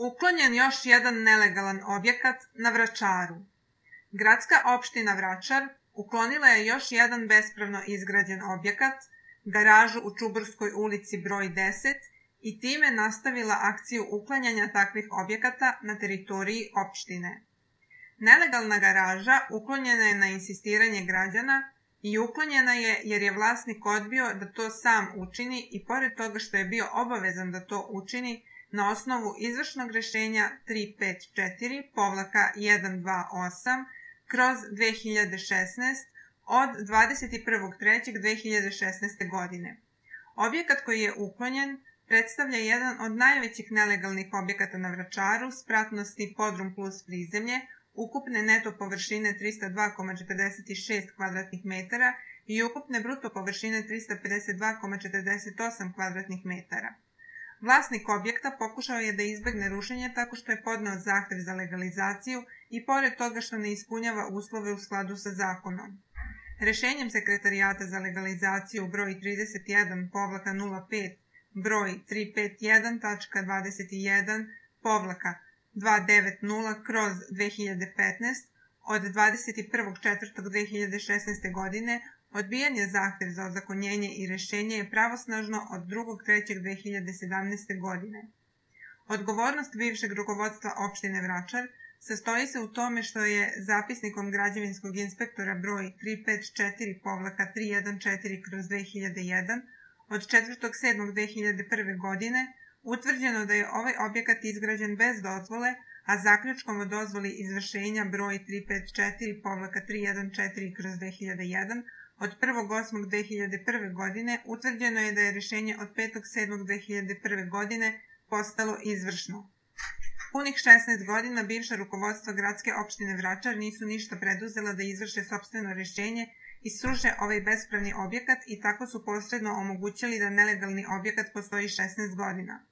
Uklonjen još jedan nelegalan objekat na Vračaru. Gradska opština Vračar uklonila je još jedan bespravno izgrađen objekat, garažu u Čuburskoj ulici broj 10, i time nastavila akciju uklanjanja takvih objekata na teritoriji opštine. Nelegalna garaža uklonjena je na insistiranje građana i uklonjena je jer je vlasnik odbio da to sam učini i pored toga što je bio obavezan da to učini na osnovu izvršnog rešenja 354-128/2016 od 21.3.2016. godine. Objekat koji je uklonjen predstavlja jedan od najvećih nelegalnih objekata na Vračaru spratnosti podrum plus prizemlje, ukupne neto površine 302,46 m2 i ukupne bruto površine 352,48 m2. Vlasnik objekta pokušao je da izbegne rušenje tako što je podneo zahtev za legalizaciju i pored toga što ne ispunjava uslove u skladu sa zakonom. Rešenjem Sekretarijata za legalizaciju broj 31-05 broj 351-290/290/2015 od 21.4.2016. godine odbijen je zahtev za ozakonjenje i rešenje je pravosnažno od 2.3.2017. godine. Odgovornost bivšeg rukovodstva opštine Vračar sastoji se u tome što je zapisnikom građevinskog inspektora broj 354-314/2001 od 4.7.2001. godine utvrđeno da je ovaj objekat izgrađen bez dozvole, a zaključkom o dozvoli izvršenja broj 354-314/2001 od 1.8.2001. godine utvrđeno je da je rešenje od 5.7.2001. godine postalo izvršno. Punih 16 godina bivša rukovodstva gradske opštine Vračar nisu ništa preduzela da izvrše sopstveno rešenje i sruše ovaj bespravni objekat i tako su posredno omogućili da nelegalni objekat postoji 16 godina.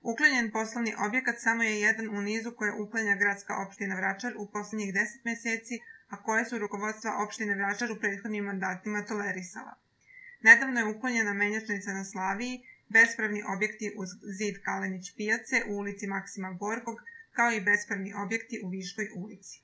Uklonjen poslovni objekat samo je jedan u nizu koje uklanja gradska opština Vračar u poslednjih 10 meseci, a koje su rukovodstva opštine Vračar u prethodnim mandatima tolerisala. Nedavno je uklonjena menjačnica na Slaviji, bespravni objekti uz zid Kalenić pijace u ulici Maksima Gorkog, kao i bespravni objekti u Viškoj ulici.